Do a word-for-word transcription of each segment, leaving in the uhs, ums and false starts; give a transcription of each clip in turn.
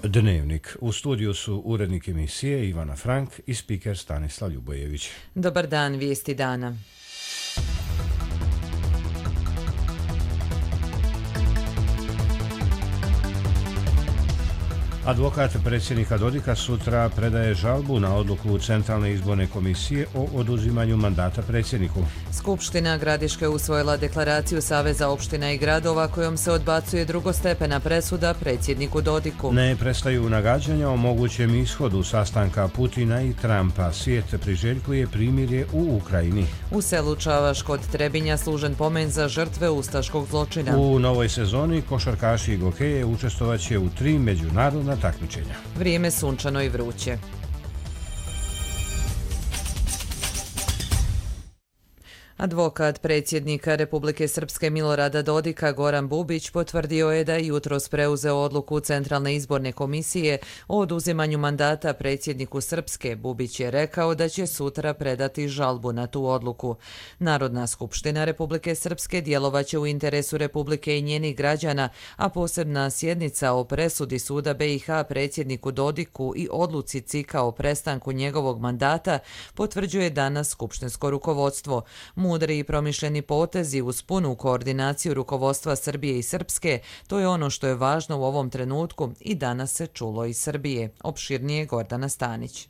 Dnevnik. U studiju su urednik emisije Ivana Frank i spiker Stanislav Ljubojević. Dobar dan, vijesti dana. Advokat predsjednika Dodika sutra predaje žalbu na odluku Centralne izborne komisije o oduzimanju mandata predsjedniku. Skupština Gradiške usvojila deklaraciju Saveza opština i gradova kojom se odbacuje drugostepena presuda predsjedniku Dodiku. Ne prestaju nagađanja o mogućem ishodu sastanka Putina i Trumpa. Svijet priželjkuje primirje u Ukrajini. U selu Čavaš kod Trebinja služen pomen za žrtve ustaškog zločina. U novoj sezoni košarkaši i gokeje učestvovaće u tri međunarodna takmičenja. Vrijeme sunčano i vruće. Advokat predsjednika Republike Srpske Milorada Dodika Goran Bubić potvrdio je da je jutros preuzeo odluku Centralne izborne komisije o oduzimanju mandata predsjedniku Srpske. Bubić je rekao da će sutra predati žalbu na tu odluku. Narodna skupština Republike Srpske djelovaće u interesu Republike i njenih građana, a posebna sjednica o presudi suda B i H predsjedniku Dodiku i odluci C I K-a o prestanku njegovog mandata potvrđuje danas skupštinsko rukovodstvo. Mudri i promišljeni potezi uz punu koordinaciju rukovodstva Srbije i Srpske, to je ono što je važno u ovom trenutku i danas se čulo iz Srbije. Opširnije Gordana Stanić.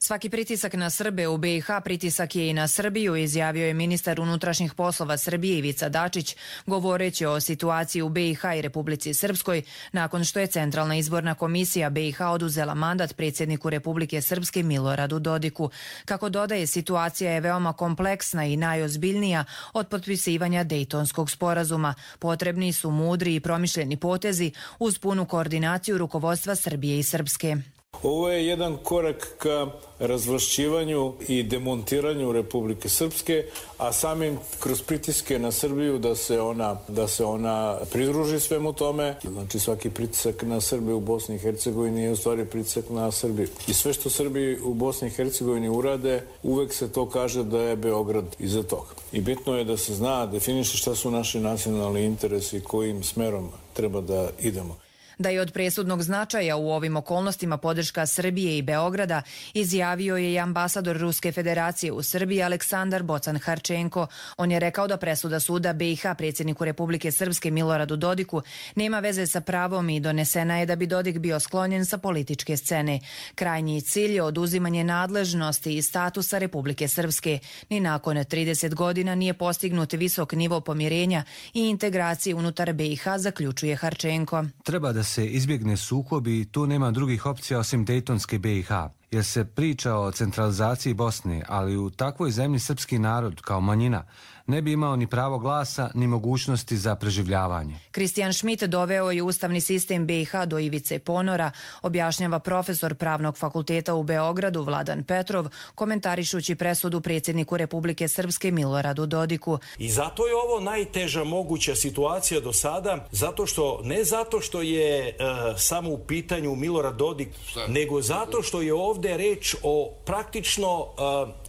Svaki pritisak na Srbe u B i H pritisak je i na Srbiju, izjavio je ministar unutrašnjih poslova Srbije Ivica Dačić, govoreći o situaciji u B i H i Republici Srpskoj, nakon što je Centralna izborna komisija B i H oduzela mandat predsjedniku Republike Srpske Miloradu Dodiku. Kako dodaje, situacija je veoma kompleksna i najozbiljnija od potpisivanja Dejtonskog sporazuma. Potrebni su mudri i promišljeni potezi uz punu koordinaciju rukovodstva Srbije i Srpske. Ovo je jedan korak ka razvlašćivanju i demontiranju Republike Srpske, a samim kroz pritiske na Srbiju da se ona, da se ona pridruži svemu tome. Znači svaki pritisak na Srbiju u Bosni i Hercegovini je u stvari pritisak na Srbiju. I sve što Srbi u Bosni i Hercegovini urade, uvek se to kaže da je Beograd iza toga. I bitno je da se zna, definiše šta su naši nacionalni interesi i kojim smerom treba da idemo. Da je od presudnog značaja u ovim okolnostima podrška Srbije i Beograda, izjavio je i ambasador Ruske federacije u Srbiji Aleksandar Bocan-Harčenko. On je rekao da presuda suda B i H predsjedniku Republike Srpske Miloradu Dodiku nema veze sa pravom i donesena je da bi Dodik bio sklonjen sa političke scene. Krajnji cilj je oduzimanje nadležnosti i statusa Republike Srpske. Ni nakon trideset godina nije postignut visok nivo pomirenja i integracije unutar B i H, zaključuje Harčenko. Treba da se izbjegne sukob i tu nema drugih opcija osim Dejtonske B i H, jer se priča o centralizaciji Bosne, ali u takvoj zemlji srpski narod, kao manjina, ne bi imao ni pravo glasa, ni mogućnosti za preživljavanje. Kristijan Šmit doveo je ustavni sistem B i H do ivice ponora, objašnjava profesor Pravnog fakulteta u Beogradu Vladan Petrov, komentarišući presudu predsjedniku Republike Srpske Miloradu Dodiku. I zato je ovo najteža moguća situacija do sada, zato što, ne zato što je uh, samo u pitanju Milorad Dodik, nego zato što je ovdje reč o praktično uh,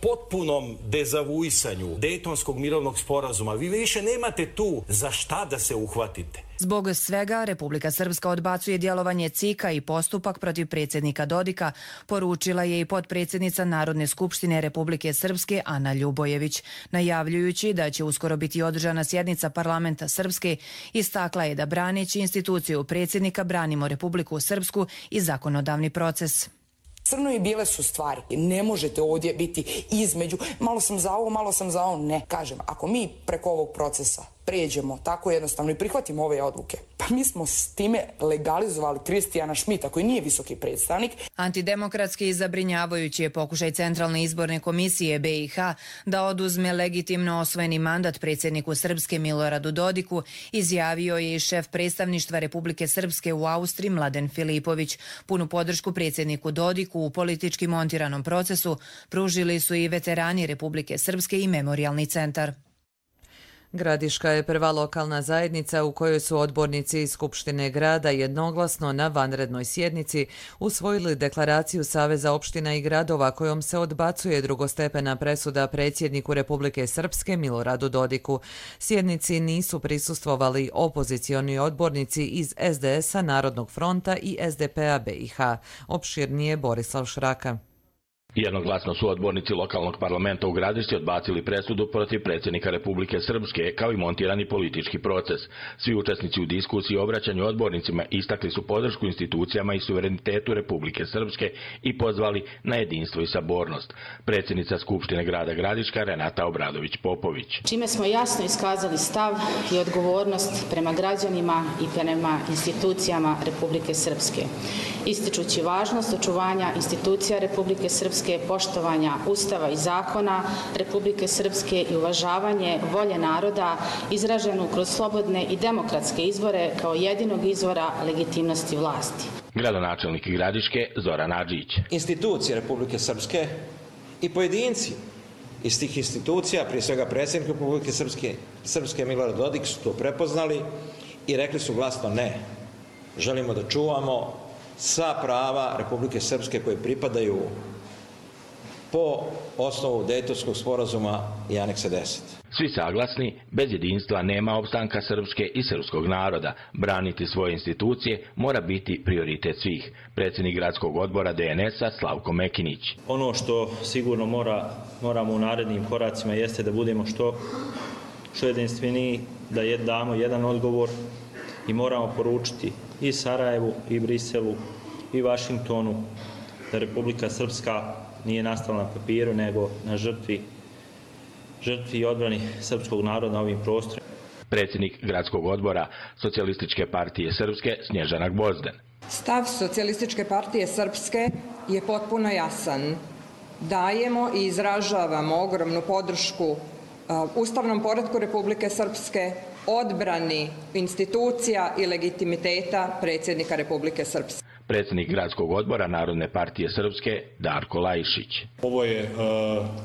potpunom dezavuisanju Dejtonskog mirovnog sporazuma. Vi više nemate tu za šta da se uhvatite. Zbog svega, Republika Srpska odbacuje djelovanje C I K-a i postupak protiv predsjednika Dodika, poručila je i potpredsjednica Narodne skupštine Republike Srpske Ana Ljubojević. Najavljujući da će uskoro biti održana sjednica parlamenta Srpske, istakla je da braneći instituciju predsjednika branimo Republiku Srpsku i zakonodavni proces. Crno i bijele su stvari. Ne možete ovdje biti između. Malo sam za ovo, malo sam za ovo. Ne, kažem, ako mi preko ovog procesa pređemo tako jednostavno i prihvatimo ove odluke, pa mi smo s time legalizovali Kristijana Šmita, koji nije visoki predstavnik. Antidemokratski i zabrinjavajući je pokušaj Centralne izborne komisije B i H da oduzme legitimno osvojeni mandat predsjedniku Srpske Miloradu Dodiku, izjavio je i šef predstavništva Republike Srpske u Austriji Mladen Filipović. Punu podršku predsjedniku Dodiku u politički montiranom procesu pružili su i veterani Republike Srpske i Memorijalni centar. Gradiška je prva lokalna zajednica u kojoj su odbornici iz Skupštine grada jednoglasno na vanrednoj sjednici usvojili deklaraciju Saveza opština i gradova kojom se odbacuje drugostepena presuda predsjedniku Republike Srpske Miloradu Dodiku. Sjednici nisu prisustvovali opozicioni odbornici iz es de es a, Narodnog fronta i es de pe a be i ha. Opširnije Borislav Šraka. Jednoglasno su odbornici lokalnog parlamenta u Gradišci odbacili presudu protiv predsjednika Republike Srpske kao i montirani politički proces. Svi učesnici u diskusiji i obraćanju odbornicima istakli su podršku institucijama i suverenitetu Republike Srpske i pozvali na jedinstvo i sabornost. Predsjednica Skupštine grada Gradiška Renata Obradović-Popović. Čime smo jasno iskazali stav i odgovornost prema građanima i prema institucijama Republike Srpske, ističući važnost očuvanja institucija Republike Srpske, poštovanja Ustava i zakona Republike Srpske i uvažavanje volje naroda izraženu kroz slobodne i demokratske izbore kao jedinog izvora legitimnosti vlasti. Gradonačelnik Gradiške Zoran Adžić. Institucije Republike Srpske i pojedinci iz tih institucija, prije svega predsjednik Republike Srpske, Srpske Milorad Dodik, su to prepoznali i rekli su glasno ne. Želimo da čuvamo sva prava Republike Srpske koje pripadaju po osnovu Dejtonskog sporazuma i aneksa deset. Svi saglasni, bez jedinstva nema opstanka srpske i srpskog naroda. Braniti svoje institucije mora biti prioritet svih. Predsjednik gradskog odbora de en es a Slavko Mekinić. Ono što sigurno mora, moramo u narednim koracima jeste da budemo što, što jedinstveniji, da je, damo jedan odgovor i moramo poručiti i Sarajevu, i Briselu, i Vašingtonu da Republika Srpska nije nastala na papiru, nego na žrtvi, žrtvi i odbrani srpskog naroda na ovim prostorima. Predsjednik gradskog odbora Socijalističke partije Srpske Snježana Gvozden. Stav Socijalističke partije Srpske je potpuno jasan. Dajemo i izražavamo ogromnu podršku uh, ustavnom poretku Republike Srpske, odbrani institucija i legitimiteta predsjednika Republike Srpske. Predsjednik gradskog odbora Narodne partije Srpske Darko Lajišić. Ovo je uh,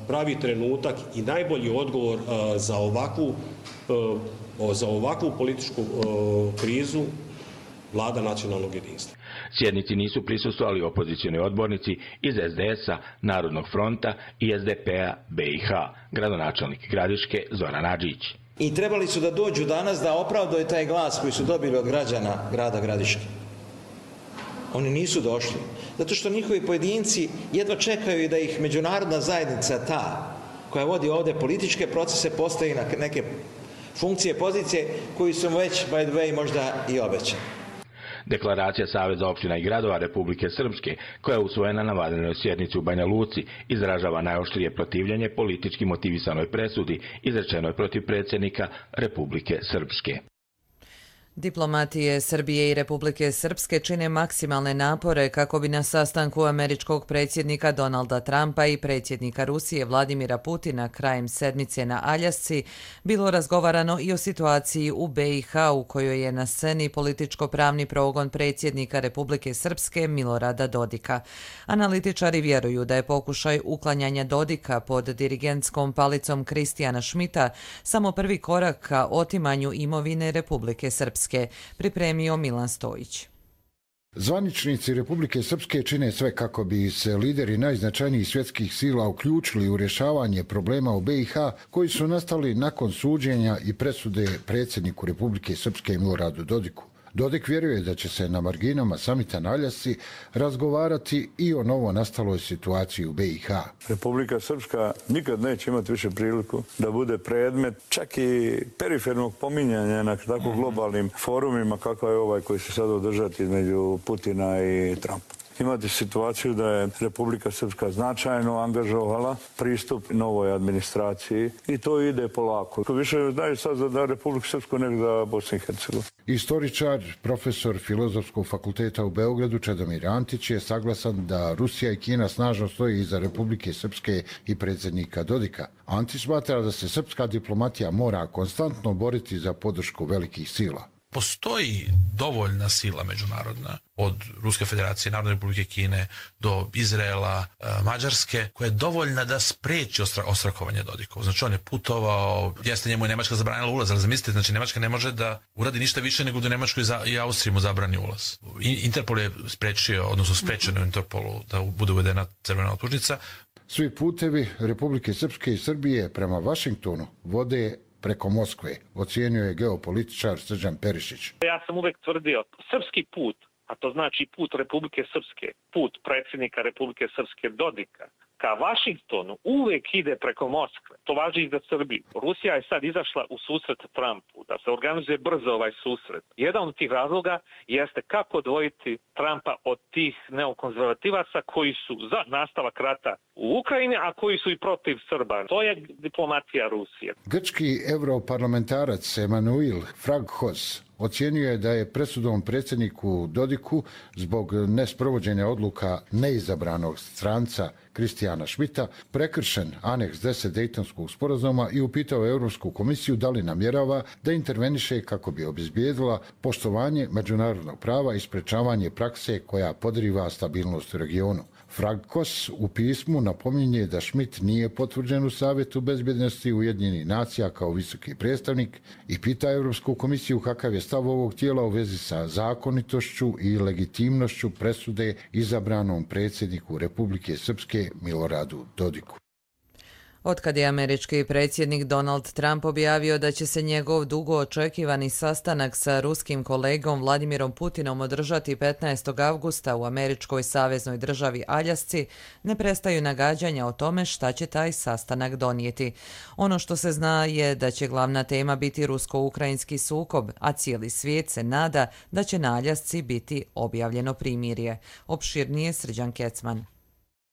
pravi trenutak i najbolji odgovor uh, za ovakvu, uh, za ovakvu političku uh, krizu Vlada nacionalnog jedinstva. Sjednici nisu prisustvovali opozicioni odbornici iz es de es a, Narodnog fronta i es de pe a be i ha. Gradonačelnik Gradiške Zoran Adžić. I trebali su da dođu danas da opravdaju taj glas koji su dobili od građana grada Gradiške. Oni nisu došli, zato što njihovi pojedinci jedva čekaju da ih međunarodna zajednica ta, koja vodi ovdje političke procese, postavi na neke funkcije, pozicije koji su već, by the way, možda i obećani. Deklaracija Saveza opština i gradova Republike Srpske, koja je usvojena na vanrednoj sjednici u Banja Luci, izražava najoštrije protivljenje politički motivisanoj presudi izrečenoj protiv predsjednika Republike Srpske. Diplomatije Srbije i Republike Srpske čine maksimalne napore kako bi na sastanku američkog predsjednika Donalda Trumpa i predsjednika Rusije Vladimira Putina krajem sedmice na Aljasci bilo razgovarano i o situaciji u be i ha u kojoj je na sceni političko-pravni progon predsjednika Republike Srpske Milorada Dodika. Analitičari vjeruju da je pokušaj uklanjanja Dodika pod dirigentskom palicom Kristijana Šmita samo prvi korak ka otimanju imovine Republike Srpske. Pripremio Milan Stojić. Zvaničnici Republike Srpske čine sve kako bi se lideri najznačajnijih svjetskih sila uključili u rješavanje problema u be i ha koji su nastali nakon suđenja i presude predsjedniku Republike Srpske Miloradu Dodiku. Dodik vjeruje da će se na marginama samita na Aljasci razgovarati i o novo nastaloj situaciji u be i ha. Republika Srpska nikad neće imati više priliku da bude predmet čak i perifernog pominjanja na tako globalnim forumima kakav je ovaj koji se sad održati između Putina i Trumpa. Imate situaciju da je Republika Srpska značajno angažovala pristup novoj administraciji i to ide polako. Više znaju sad za Republiku Srpsku nego za Bosnu i Hercegovinu. Istoričar, profesor Filozofskog fakulteta u Beogradu Čedomir Antić je saglasan da Rusija i Kina snažno stoji iza Republike Srpske i predsjednika Dodika. Antić smatra da se srpska diplomatija mora konstantno boriti za podršku velikih sila. Postoji dovoljna sila međunarodna od Ruske federacije, Narodne republike Kine do Izraela, Mađarske, koja je dovoljna da spreči ostra, ostrakovanje Dodikov. Znači on je putovao, jeste njemu je Nemačka zabranila ulaz, ali zamislite, znači Nemačka ne može da uradi ništa više nego da Nemačkoj i Austriji mu zabrani ulaz. Interpol je sprečio, odnosno sprečeno u Interpolu da bude uvedena crvena optužnica. Svi putevi Republike Srpske i Srbije prema Vašingtonu vode preko Moskve, ocijenio je geopolitičar Srđan Perišić. Ja sam uvek tvrdio, srpski put, a to znači put Republike Srpske, put predsjednika Republike Srpske Dodika, ka Vašingtonu uvek ide preko Moskve. To važi i za Srbiju. Rusija je sad izašla u susret Trumpu, da se organizuje brzo ovaj susret. Jedan od tih razloga jeste kako odvojiti Trumpa od tih neokonzervativaca koji su za nastavak rata u Ukrajini, a koji su i protiv Srba. To je diplomatija Rusije. Grčki europarlamentarac Emanuil Fraghos ocijenio je da je presudom predsjedniku Dodiku zbog nesprovođenja odluka neizabranog stranca Kristijana Šmita prekršen aneks deset Dejtonskog sporazuma i upitao Europsku komisiju da li namjerava da interveniše kako bi obezbijedila poštovanje međunarodnog prava i sprečavanje prakse koja podriva stabilnost u regionu. Frankos u pismu napominje da Schmidt nije potvrđen u Savjetu bezbjednosti Ujedinjenih nacija kao visoki predstavnik i pita Europsku komisiju kakav je stav ovog tijela u vezi sa zakonitošću i legitimnošću presude izabranom predsjedniku Republike Srpske Miloradu Dodiku. Otkad je američki predsjednik Donald Trump objavio da će se njegov dugo očekivani sastanak sa ruskim kolegom Vladimirom Putinom održati petnaestog avgusta u američkoj saveznoj državi Aljasci, ne prestaju nagađanja o tome šta će taj sastanak donijeti. Ono što se zna je da će glavna tema biti rusko-ukrajinski sukob, a cijeli svijet se nada da će na Aljasci biti objavljeno primirje. Opširnije Srđan Kecman.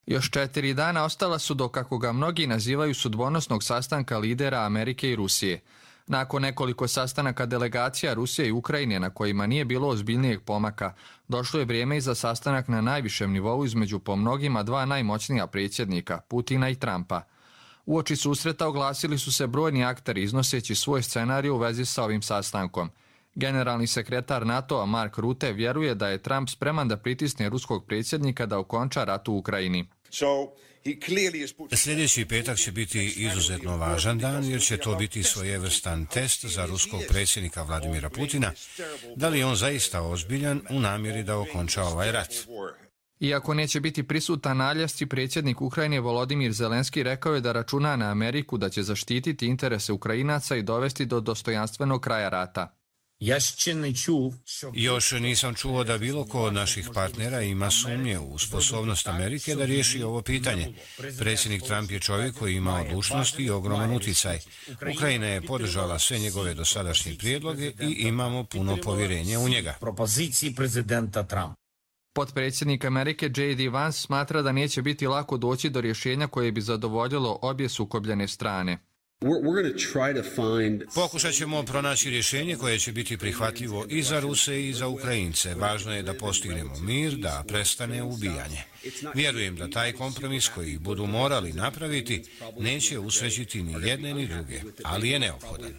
Još četiri dana ostala su do, kako ga mnogi nazivaju, sudbonosnog sastanka lidera Amerike i Rusije. Nakon nekoliko sastanaka delegacija Rusije i Ukrajine na kojima nije bilo ozbiljnijeg pomaka, došlo je vrijeme i za sastanak na najvišem nivou između po mnogima dva najmoćnija predsjednika, Putina i Trumpa. Uoči susreta oglasili su se brojni akteri iznoseći svoj scenarij u vezi sa ovim sastankom. Generalni sekretar NATO-a Mark Rutte vjeruje da je Trump spreman da pritisne ruskog predsjednika da okonča rat u Ukrajini. Sljedeći petak će biti izuzetno važan dan jer će to biti svojevrstan test za ruskog predsjednika Vladimira Putina. Da li je on zaista ozbiljan u namjeri da okonča ovaj rat? Iako neće biti prisutan na Aljasci, predsjednik Ukrajine Volodimir Zelenski rekao je da računa na Ameriku da će zaštititi interese Ukrajinaca i dovesti do dostojanstvenog kraja rata. Još nisam čuo da bilo ko od naših partnera ima sumnje u sposobnost Amerike da riješi ovo pitanje. Predsjednik Trump je čovjek koji ima odlučnost i ogroman uticaj. Ukrajina je podržala sve njegove dosadašnje prijedloge i imamo puno povjerenja u njega. Potpredsjednik Amerike J D Vance smatra da neće biti lako doći do rješenja koje bi zadovoljilo obje sukobljene strane. Pokušat ćemo pronaći rješenje koje će biti prihvatljivo i za Ruse i za Ukrajince. Važno je da postignemo mir, da prestane ubijanje. Vjerujem da taj kompromis koji budu morali napraviti neće usrećiti ni jedne ni druge, ali je neophodan.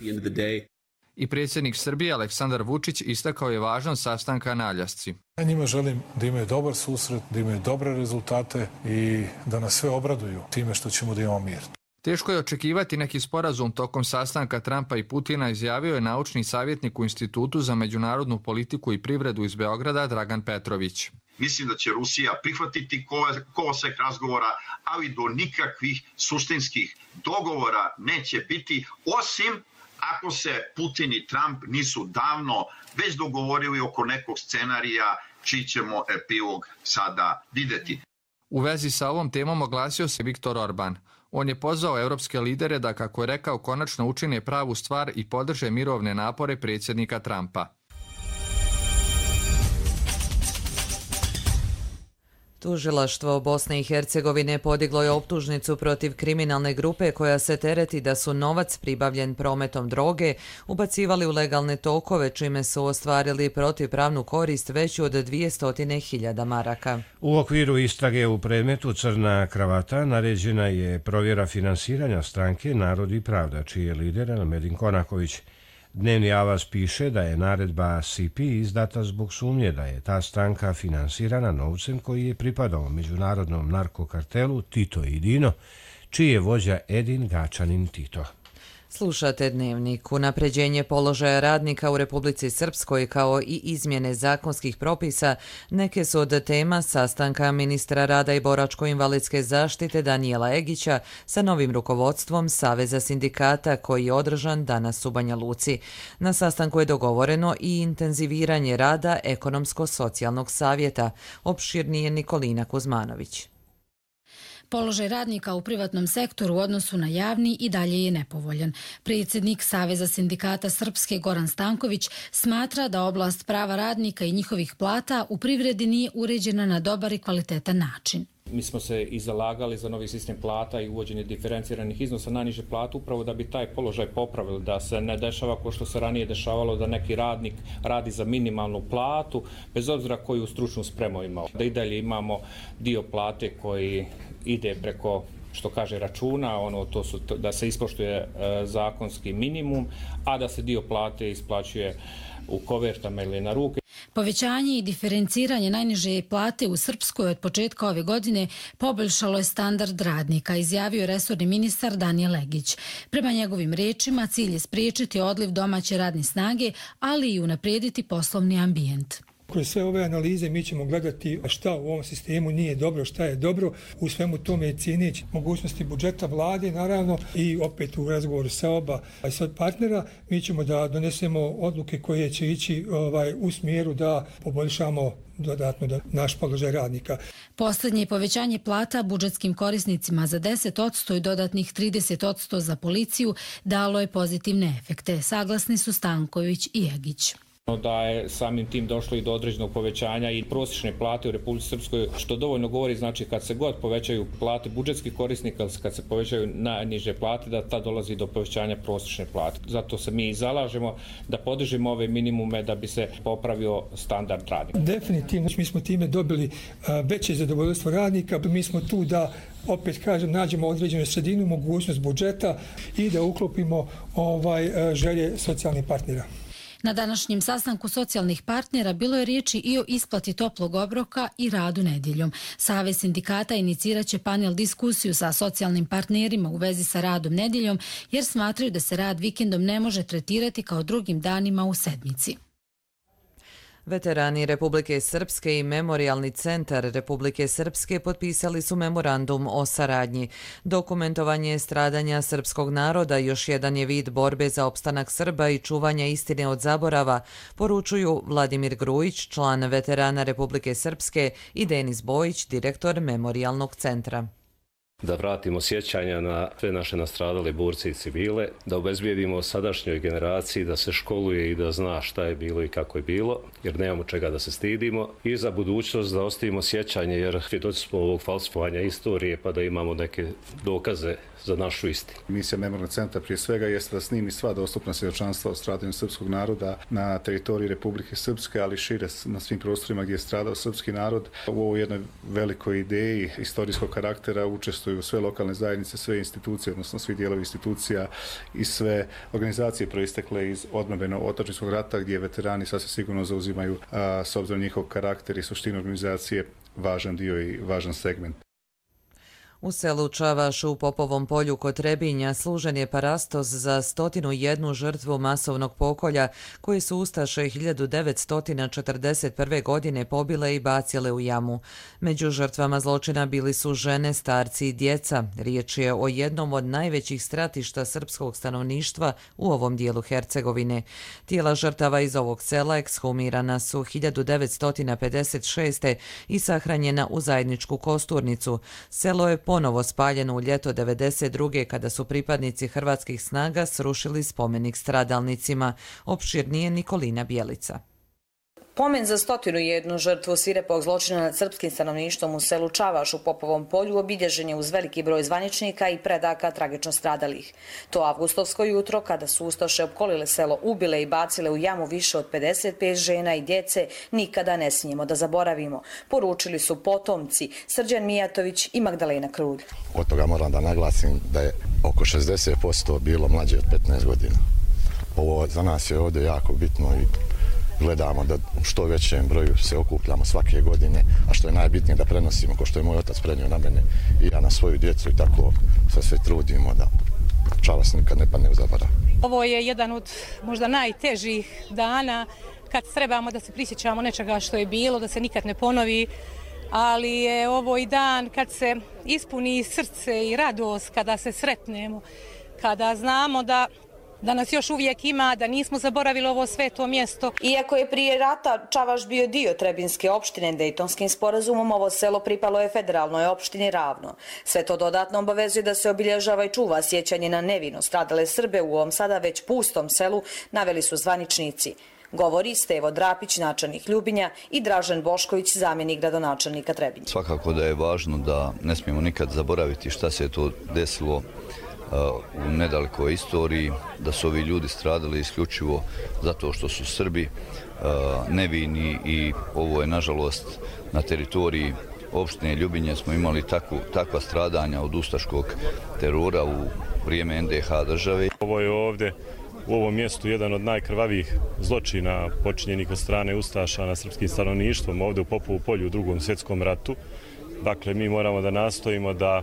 I predsjednik Srbije Aleksandar Vučić istakao je važnost sastanka na Aljasci. Ja njima želim da imaju dobar susret, da imaju dobre rezultate i da nas sve obraduju time što ćemo da imamo mir. Teško je očekivati neki sporazum tokom sastanka Trumpa i Putina, izjavio je naučni savjetnik u Institutu za međunarodnu politiku i privredu iz Beograda Dragan Petrović. Mislim da će Rusija prihvatiti kolosek razgovora, ali do nikakvih suštinskih dogovora neće biti, osim ako se Putin i Trump nisu davno već dogovorili oko nekog scenarija čiji ćemo epilog sada vidjeti. U vezi sa ovom temom oglasio se Viktor Orban. On je pozvao europske lidere da, kako je rekao, konačno učine pravu stvar i podrže mirovne napore predsjednika Trumpa. Tužilaštvo Bosne i Hercegovine podiglo je optužnicu protiv kriminalne grupe koja se tereti da su novac pribavljen prometom droge ubacivali u legalne tokove, čime su ostvarili protivpravnu korist veću od dvjesto hiljada maraka. U okviru istrage u predmetu Crna kravata naređena je provjera finansiranja stranke Narod i pravda, čiji je lider Elmedin Konaković. Dnevni Avaz piše da je naredba C P izdata zbog sumnje da je ta stranka finansirana novcem koji je pripadao međunarodnom narkokartelu Tito i Dino, čiji je vođa Edin Gačanin Tito. Slušate Dnevnik. Unapređenje položaja radnika u Republici Srpskoj kao i izmjene zakonskih propisa neke su od tema sastanka ministra rada i boračko-invalidske zaštite Danijela Egića sa novim rukovodstvom Saveza sindikata koji je održan danas u Banja Luci. Na sastanku je dogovoreno i intenziviranje rada ekonomsko-socijalnog savjeta. Opširnije Nikolina Kuzmanović. Položaj radnika u privatnom sektoru u odnosu na javni i dalje je nepovoljan. Predsjednik Saveza sindikata Srpske Goran Stanković smatra da oblast prava radnika i njihovih plata u privredi nije uređena na dobar i kvalitetan način. Mi smo se i zalagali za novi sistem plata i uvođenje diferenciranih iznosa najniže plate upravo da bi taj položaj popravili, da se ne dešava kao što se ranije dešavalo da neki radnik radi za minimalnu platu, bez obzira koju stručnu spremu imao. Da i dalje imamo dio plate koji ide preko, što kaže, računa, ono, to su, da se ispoštuje e, zakonski minimum, a da se dio plate isplaćuje u kovertama ili na ruke. Povećanje i diferenciranje najniže plate u Srpskoj od početka ove godine poboljšalo je standard radnika, izjavio je resorni ministar Danijel Egić. Prema njegovim rečima, cilj je spriječiti odliv domaće radne snage, ali i unaprijediti poslovni ambijent. Kroz sve ove analize mi ćemo gledati šta u ovom sistemu nije dobro, šta je dobro. U svemu tome cijeneći mogućnosti budžeta vlade, naravno, i opet u razgovoru sa oba i sa partnera, mi ćemo da donesemo odluke koje će ići ovaj, u smjeru da poboljšamo dodatno da naš položaj radnika. Posljednje povećanje plata budžetskim korisnicima za deset posto i dodatnih trideset posto za policiju dalo je pozitivne efekte. Saglasni su Stanković i Egić. Da je samim tim došlo i do određenog povećanja i prosječne plate u Republici Srpskoj, što dovoljno govori, znači kad se god povećaju plate budžetskih korisnika, kad se povećaju najniže plate, da ta dolazi do povećanja prosječne plate. Zato se mi i zalažemo da podržimo ove minimume da bi se popravio standard radnika. Definitivno, mi smo time dobili veće zadovoljstvo radnika, mi smo tu da opet kažem, nađemo određenu sredinu, mogućnost budžeta i da uklopimo ovaj, želje socijalnih partnera. Na današnjem sastanku socijalnih partnera bilo je riječi i o isplati toplog obroka i radu nedjeljom. Savez sindikata inicirat će panel diskusiju sa socijalnim partnerima u vezi sa radom nedjeljom jer smatraju da se rad vikendom ne može tretirati kao drugim danima u sedmici. Veterani Republike Srpske i Memorijalni centar Republike Srpske potpisali su memorandum o saradnji. Dokumentovanje stradanja srpskog naroda još jedan je vid borbe za opstanak Srba i čuvanja istine od zaborava, poručuju Vladimir Grujić, član Veterana Republike Srpske, i Denis Bojić, direktor Memorijalnog centra. Da vratimo sjećanja na sve naše nastradale borce i civile, da obezbijedimo sadašnjoj generaciji da se školuje i da zna šta je bilo i kako je bilo, jer nemamo čega da se stidimo, i za budućnost da ostavimo sjećanje, jer svjedoci smo ovog falsifikovanja istorije, pa da imamo neke dokaze za našu istinu. Misija Memorijalnog centra prije svega jeste da snimi sva dostupna svjedočanstva o stradanju srpskog naroda na teritoriji Republike Srpske, ali šire na svim prostorima gdje je stradao srpski narod. U ovoj jednoj velikoj ideji istorijskog karaktera učestvuju sve lokalne zajednice, sve institucije, odnosno svi dijelovi institucija i sve organizacije proistekle iz odbrambeno-otadžbinskog rata, gdje veterani sasvim sigurno zauzimaju, a, s obzirom njihov karakter i suštinu organizacije, važan dio i važan segment. U selu Čavaš u Popovom polju kod Trebinja služen je parastos za stotinu jednu žrtvu masovnog pokolja koje su ustaše hiljadu devetsto četrdeset prve. godine pobile i bacile u jamu. Među žrtvama zločina bili su žene, starci i djeca. Riječ je o jednom od najvećih stratišta srpskog stanovništva u ovom dijelu Hercegovine. Tijela žrtava iz ovog sela ekshumirana su hiljadu devetsto pedeset šeste. i sahranjena u zajedničku kosturnicu. Selo je ponovo spaljeno u ljeto devedeset druge. kada su pripadnici hrvatskih snaga srušili spomenik stradalnicima. Opširnije Nikolina Bjelica. Pomen za stotinu jednu žrtvu svirepog zločina nad srpskim stanovništvom u selu Čavaš u Popovom polju obilježen je uz veliki broj zvaničnika i predaka tragično stradalih. To avgustovsko jutro, kada su ustaše opkolile selo, ubile i bacile u jamu više od pedeset pet žena i djece, nikada ne smijemo da zaboravimo, poručili su potomci Srđan Mijatović i Magdalena Krulj. Od toga moram da naglasim da je oko šezdeset posto bilo mlađe od petnaest godina. Ovo za nas je ovdje jako bitno i gledamo da u što većem broju se okupljamo svake godine, a što je najbitnije da prenosimo, ko što je moj otac prenio na mene i ja na svoju djecu i tako se sve trudimo da čavas nikad ne padne u zaborav. Ovo je jedan od možda najtežih dana kad trebamo da se prisjećamo nečega što je bilo, da se nikad ne ponovi, ali je ovo i dan kad se ispuni srce i radost kada se sretnemo, kada znamo da da nas još uvijek ima, da nismo zaboravili ovo sveto mjesto. Iako je prije rata Čavaš bio dio Trebinske opštine, Dejtonskim sporazumom ovo selo pripalo je federalnoj opštini Ravno. Sve to dodatno obavezuje da se obilježava i čuva sjećanje na nevino stradale Srbe u ovom sada već pustom selu, naveli su zvaničnici. Govori Stevo Drapić, načelnik Ljubinja, i Dražen Bošković, zamjenik gradonačelnika Trebinja. Svakako da je važno da ne smijemo nikad zaboraviti šta se je to desilo u nedalekoj istoriji, da su ovi ljudi stradali isključivo zato što su Srbi nevini i ovo je nažalost na teritoriji opštine Ljubinje smo imali takvu, takva stradanja od ustaškog terora u vrijeme en de ha države. Ovo je ovdje u ovom mjestu jedan od najkrvavijih zločina počinjenih od strane ustaša na srpskim stanovništvom ovdje u Popovu polju u drugom svjetskom ratu. Dakle, mi moramo da nastojimo da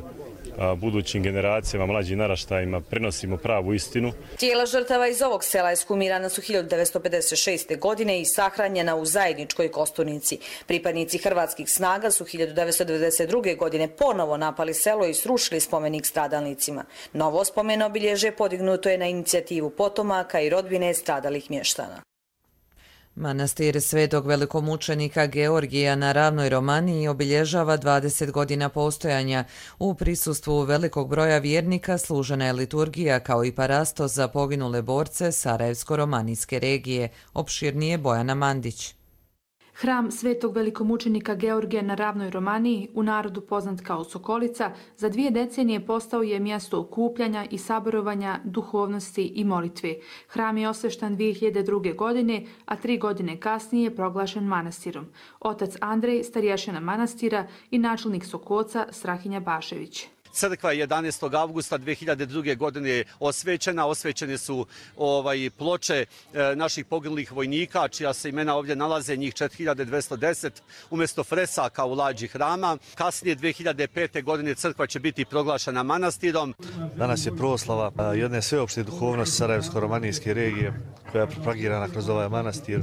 budućim generacijama, mlađim naraštajima prenosimo pravu istinu. Tijela žrtava iz ovog sela eshumirana su hiljadu devetsto pedeset šeste. godine i sahranjena u zajedničkoj kosturnici. Pripadnici hrvatskih snaga su hiljadu devetsto devedeset druge. godine ponovo napali selo i srušili spomenik stradalnicima. Novo spomen obilježje podignuto je na inicijativu potomaka i rodbine stradalih mještana. Manastir Svetog velikomučenika Georgija na Ravnoj Romaniji obilježava dvadeset godina postojanja. U prisustvu velikog broja vjernika služena je liturgija kao i parasto za poginule borce Sarajevsko-romanijske regije. Opširnije Bojana Mandić. Hram Svetog velikomučenika Georgija na Ravnoj Romaniji, u narodu poznat kao Sokolica, za dvije decenije postao je mjesto okupljanja i saborovanja, duhovnosti i molitve. Hram je osveštan dvije hiljade druge. godine, a tri godine kasnije je proglašen manastirom. Otac Andrej, starješina manastira i načelnik Sokoca Strahinja Bašević. Crkva je jedanaestog avgusta dve hiljade druge. godine osvećena. Osvećene su ovaj, ploče e, naših poginulih vojnika, čija se imena ovdje nalaze, njih četiri hiljade dvjesto deset, umjesto fresaka u lađi hrama. Kasnije dve hiljade pete. godine crkva će biti proglašena manastirom. Danas je proslava jedne sveopšte duhovnosti Sarajevsko-romanijske regije, koja je propagirana kroz ovaj manastir,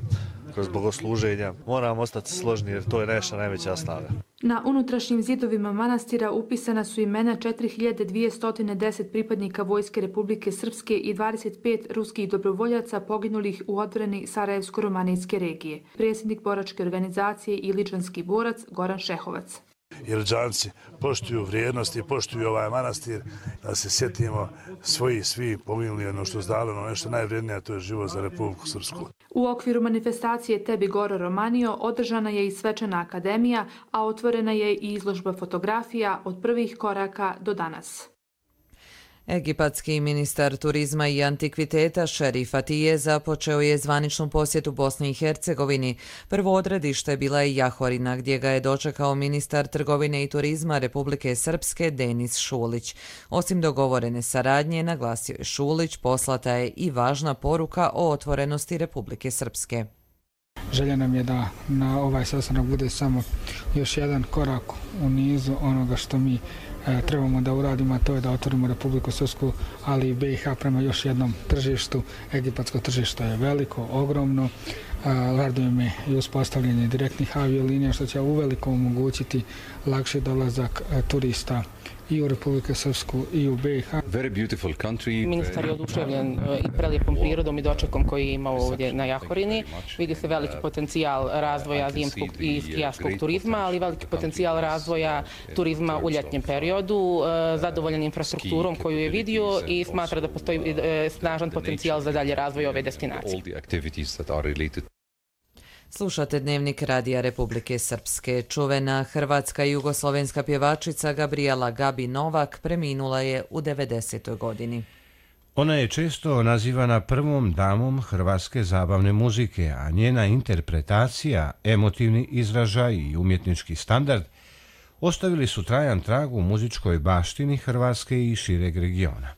kroz bogosluženja. Moramo ostati složni jer to je naša najveća snaga. Na unutrašnjim zidovima manastira upisana su imena četiri hiljade dvjesto deset pripadnika Vojske Republike Srpske i dvadeset pet ruskih dobrovoljaca poginulih u odbrani Sarajevsko-romanijske regije. Predsjednik boračke organizacije i ličanski borac Goran Šehovac. Iličanci poštuju vrijednosti, poštuju ovaj manastir, da se sjetimo svoji svi poginuli, ono što zdaleno, nešto najvrijednije, a to je život za Republiku Srpsku. U okviru manifestacije Tebi Goro Romanio održana je i svečana akademija, a otvorena je i izložba fotografija od prvih koraka do danas. Egipatski ministar turizma i antikviteta Šerif Atije započeo je zvaničnu posjetu Bosni i Hercegovini. Prvo odredište bila je Jahorina, gdje ga je dočekao ministar trgovine i turizma Republike Srpske Denis Šulić. Osim dogovorene saradnje, naglasio je Šulić, poslata je i važna poruka o otvorenosti Republike Srpske. Želja nam je da na ovaj sastanak bude samo još jedan korak u nizu onoga što mi trebamo da uradimo, a to je da otvorimo Republiku Srpsku, ali i be i ha prema još jednom tržištu. Egipatsko tržište je veliko, ogromno. Raduje me i uspostavljanje direktnih aviolinija, što će uveliko omogućiti lakši dolazak turista i u Republiku Srpsku i u be i ha. Ministar je oduševljen i prelijepom prirodom i dočekom koji je imao ovdje na Jahorini. Vidi se veliki potencijal razvoja zimskog i skijaškog turizma, ali veliki potencijal razvoja turizma u ljetnjem periodu, zadovoljan infrastrukturom koju je vidio i smatra da postoji snažan potencijal za dalje razvoj ove destinacije. Slušate Dnevnik Radija Republike Srpske. Čuvena hrvatska i jugoslovenska pjevačica Gabrijela Gabi Novak preminula je u devedesetoj. godini. Ona je često nazivana prvom damom hrvatske zabavne muzike, a njena interpretacija, emotivni izražaj i umjetnički standard ostavili su trajan trag u muzičkoj baštini Hrvatske i šireg regiona.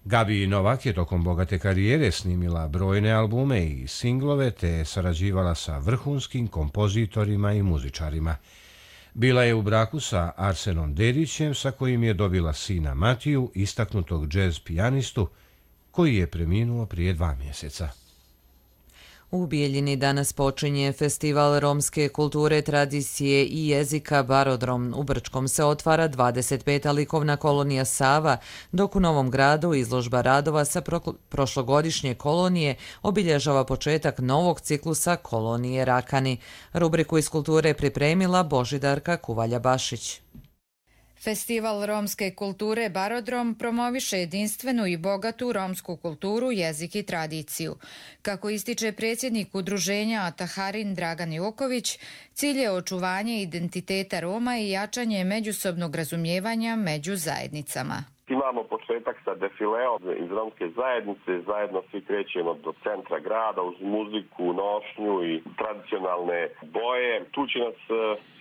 Gabi Novak je tokom bogate karijere snimila brojne albume i singlove te je sarađivala sa vrhunskim kompozitorima i muzičarima. Bila je u braku sa Arsenom Dedićem, sa kojim je dobila sina Matiju, istaknutog džez pijanistu, koji je preminuo prije dva mjeseca. U Bijeljini danas počinje Festival romske kulture, tradicije i jezika Barodrom. U Brčkom se otvara dvadeset peta likovna kolonija Sava, dok u Novom Gradu izložba radova sa prošlogodišnje kolonije obilježava početak novog ciklusa kolonije Rakani. Rubriku iz kulture pripremila Božidarka Kuvalja-Bašić. Festival romske kulture Barodrom promoviše jedinstvenu i bogatu romsku kulturu, jezik i tradiciju. Kako ističe predsjednik udruženja Ataharin Dragan Joković, cilj je očuvanje identiteta Roma i jačanje međusobnog razumijevanja među zajednicama. Imamo početak sa defileom iz romske zajednice, zajedno svi krećemo do centra grada uz muziku, nošnju i tradicionalne boje. Tu će nas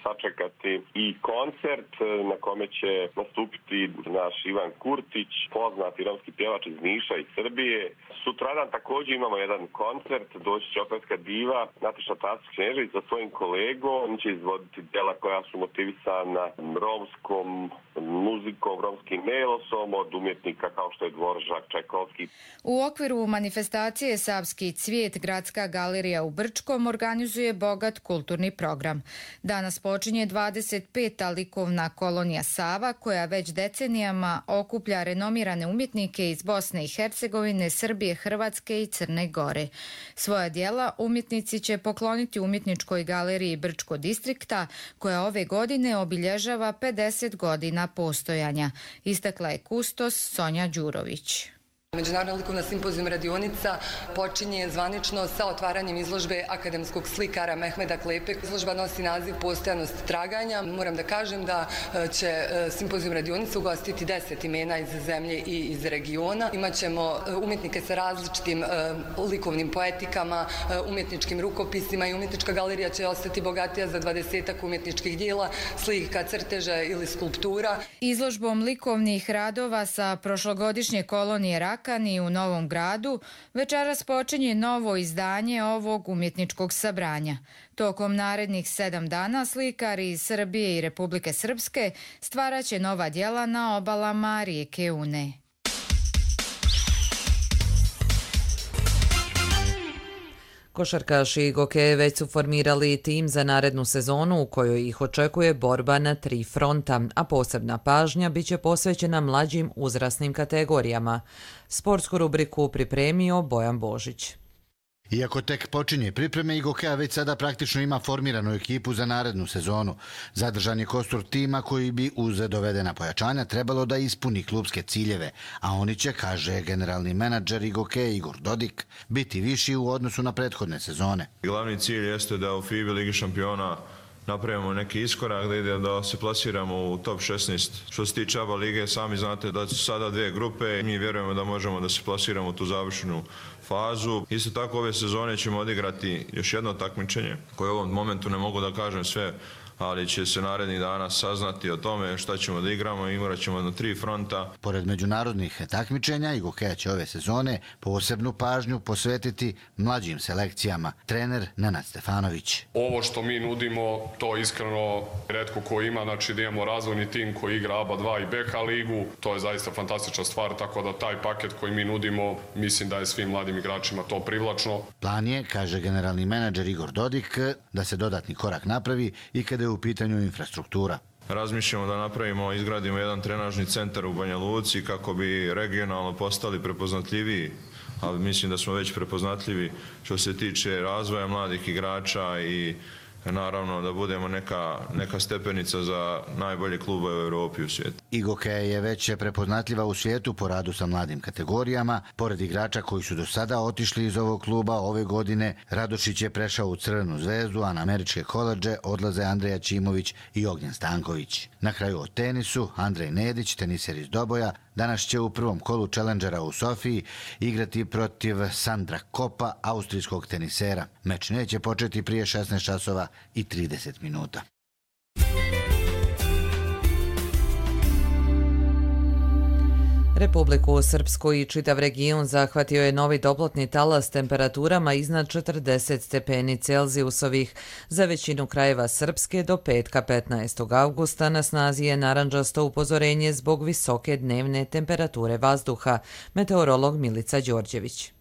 sačekati i koncert na kome će nastupiti naš Ivan Kurtić, poznati romski pjevač iz Niša i Srbije. Sutradan također imamo jedan koncert, doći će operska diva Nataša Tasić-Knežević sa svojim kolegom. On će izvoditi djela koja su motivisana romskom muzikom, romskim melosom od umjetnika kao što je Dvoržak, Čajkovski. U okviru manifestacije Savski cvijet Gradska galerija u Brčkom organizuje bogat kulturni program. Danas počinje dvadeset peta likovna kolonija Sava, koja već decenijama okuplja renomirane umjetnike iz Bosne i Hercegovine, Srbije, Hrvatske i Crne Gore. Svoja djela umjetnici će pokloniti umjetničkoj galeriji Brčko distrikta, koja ove godine obilježava pedeset godina postojanja, istakla je kustos Sonja Đurović. Međunarodna likovna simpozijum radionica počinje zvanično sa otvaranjem izložbe akademskog slikara Mehmeda Klepe. Izložba nosi naziv Postojanost traganja. Moram da kažem da će simpozijum radionica ugostiti deset imena iz zemlje i iz regiona. Imaćemo umjetnike sa različitim likovnim poetikama, umjetničkim rukopisima i umjetnička galerija će ostati bogatija za dvadesetak umjetničkih dijela, slika, crteža ili skulptura. Izložbom likovnih radova sa prošlogodišnje kolonije Rakani u Novom Gradu večeras počinje novo izdanje ovog umjetničkog sabranja. Tokom narednih sedam dana slikari iz Srbije i Republike Srpske stvaraće nova djela na obalama rijeke Une. Košarkaši Goke već su formirali tim za narednu sezonu u kojoj ih očekuje borba na tri fronta, a posebna pažnja biće posvećena mlađim uzrasnim kategorijama. Sportsku rubriku pripremio Bojan Božić. Iako tek počinje pripreme, Igokea već sada praktično ima formiranu ekipu za narednu sezonu. Zadržan je kostur tima koji bi uz dovedena pojačanja trebalo da ispuni klubske ciljeve, a oni će, kaže generalni menadžer Igokea Igor Dodik, biti viši u odnosu na prethodne sezone. Glavni cilj jeste da u FIBA Ligi šampiona napravimo neki iskorak, da ide da se plasiramo u top šesnaest. Što se tiče ABA lige, sami znate da su sada dvije grupe. Mi vjerujemo da možemo da se plasiramo u tu završenu fazu. Isto tako ove sezone ćemo odigrati još jedno takmičenje koje u ovom momentu ne mogu da kažem sve, ali će se narednih dana saznati o tome šta ćemo da igramo i igrat ćemo na tri fronta. Pored međunarodnih takmičenja, Igokea će ove sezone posebnu pažnju posvetiti mlađim selekcijama. Trener Nenad Stefanović. Ovo što mi nudimo, to iskreno retko ko ima, znači da imamo razvojni tim koji igra ABA dva i B H ligu, to je zaista fantastična stvar, tako da taj paket koji mi nudimo, mislim da je svim mladim igračima to privlačno. Plan je, kaže generalni menadžer Igor Dodik, da se dodatni korak napravi i kada je u pitanju infrastruktura. Razmišljamo da napravimo, izgradimo jedan trenažni centar u Banja Luci kako bi regionalno postali prepoznatljiviji, ali mislim da smo već prepoznatljivi što se tiče razvoja mladih igrača i naravno da budemo neka, neka stepenica za najbolje klube u Europi i u svijetu. Igokea je već prepoznatljiva u svijetu po radu sa mladim kategorijama. Pored igrača koji su do sada otišli iz ovog kluba, ove godine Radošić je prešao u Crvenu zvezdu, a na američke koledže odlaze Andreja Ćimović i Ognjen Stanković. Na kraju o tenisu, Andrej Nedić, teniser iz Doboja, danas će u prvom kolu Challengera u Sofiji igrati protiv Sandra Kopa, austrijskog tenisera. Meč neće početi prije šesnaest časova i trideset minuta. Republiku Srpsku i čitav region zahvatio je novi toplotni talas temperaturama iznad četrdeset stepeni Celzijusovih. Za većinu krajeva Srpske do petka petnaestog avgusta na snazi je narandžasto upozorenje zbog visoke dnevne temperature vazduha. Meteorolog Milica Đorđević.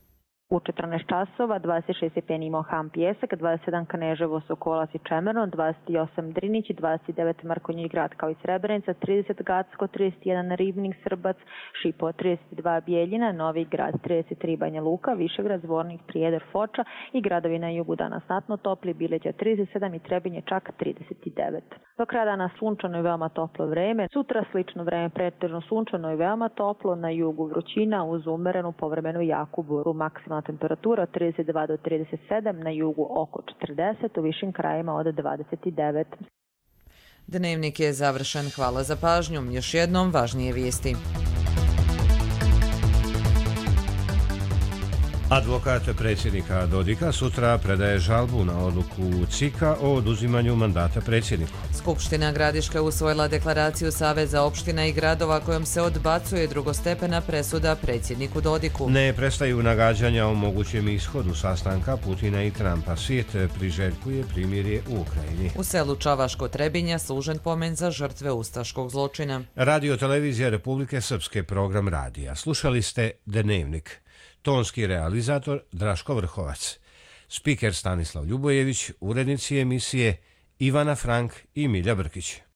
U četrnaest časova dvadeset šest stepeni imao Ham Pjesak, dvadeset sedam Kaneževo, Sokolac i Čemerno, dvadeset osam Drinić, dvadeset devet Mrkonjić Grad kao i Srebrenica, trideset Gacko, trideset jedan Ribnik, Srbac, Šipo, trideset dva Bijeljina, Novi Grad, trideset tri Banja Luka, Višegrad, Zvornik, Prijedor, Foča i gradovi na jugu danas znatno topli, Bileća trideset sedam i Trebinje čak trideset devet. Do kraja dana sunčano i veoma toplo vreme, sutra slično vreme pretežno sunčano i veoma toplo, na jugu vrućina uz umerenu povremenu jaku buru, maksimalna temperatura od trideset dva do trideset sedam, na jugu oko četrdeset, u višim krajima od dvadeset devet. Dnevnik je završen. Hvala za pažnju. Još jednom važnije vijesti. Advokat predsjednika Dodika sutra predaje žalbu na odluku C I K-a o oduzimanju mandata predsjedniku. Skupština Gradiške usvojila deklaraciju Saveza opština i gradova kojom se odbacuje drugostepena presuda predsjedniku Dodiku. Ne prestaju nagađanja o mogućem ishodu sastanka Putina i Trumpa. Svijet priželjkuje primirje u Ukrajini. U selu Čavaško Trebinja služen pomen za žrtve ustaškog zločina. Radio televizija Republike Srpske, program radija. Slušali ste Dnevnik. Tonski realizator Draško Vrhovac. Spiker Stanislav Ljubojević, urednici emisije Ivana Frank i Milja Brkić.